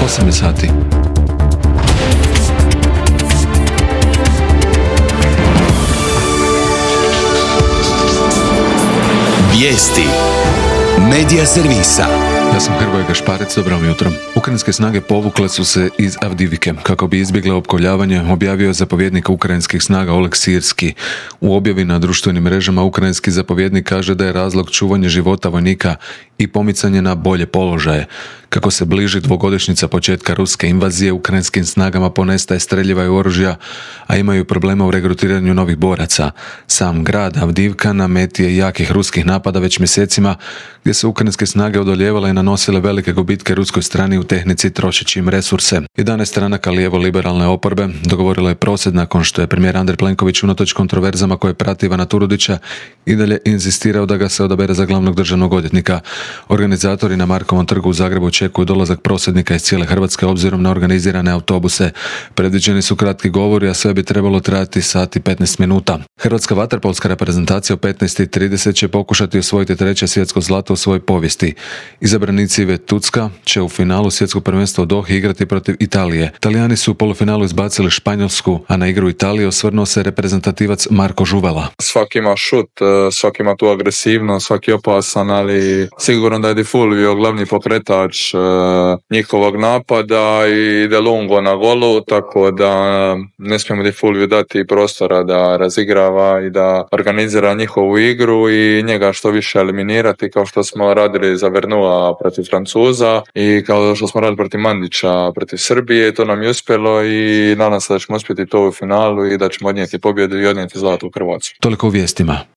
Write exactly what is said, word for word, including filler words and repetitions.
osam je sati. Vijesti Medija servisa. Ja sam Hrvoje Gašparec, dobro vam jutro. Ukrajinske snage povukle su se iz Avdivike kako bi izbjegle opkoljavanje, objavio je zapovjednik ukrajinskih snaga Oleg Sirski. U objavi na društvenim mrežama ukrajinski zapovjednik kaže da je razlog čuvanje života vojnika i pomicanje na bolje položaje. Kako se bliži dvogodišnjica početka ruske invazije, ukrajinskim snagama ponestaje streljiva i oružja, a imaju problema u regrutiranju novih boraca. Sam grad Avdivka na meti je jakih ruskih napada već mjesecima, gdje su ukrajinske snage odoljevale i nanosile velike gubitke ruskoj strani u tehnici trošeći im resurse. jedanaest stranaka lijevo-liberalne oporbe dogovorilo je prosvjed nakon što je premijer Andrej Plenković unatoč kontroverzama koje prati Ivana Turudića i dalje inzistirao da ga se odabere za glavnog državnog odvjetnika. Organizatori na Markovom trgu u Zagrebu očekuju dolazak prosvjednika iz cijele Hrvatske obzirom na organizirane autobuse. Predviđeni su kratki govori, a sve bi trebalo trajati sat i petnaest minuta. Hrvatska vaterpolska reprezentacija u petnaest i trideset će pokušati osvojiti treće svjetsko zlato u svojoj povijesti. Izabranici Ive Tucka će u finalu svjetskog prvenstva u Dohi igrati protiv Italije. Talijani su u polufinalu izbacili Španjolsku, a na igru Italije osvrnuo se reprezentativac Marko Žuvela. Svaki ima šut, svaki ima tu agresivnost, svaki opasan, ali sigurno da je Di Fulvio glavni pokretač uh, njihovog napada i De Lungo na golu, tako da ne smijemo Di Fulvio dati prostora da razigrava i da organizira njihovu igru i njega što više eliminirati, kao što smo radili za Vernua protiv Francuza i kao što smo radili protiv Mandića protiv Srbije. To nam je uspjelo i nadam se da ćemo uspjeti to u finalu i da ćemo odnijeti pobjedu i odnijeti zlato u Hrvatsku. Toliko u vijestima.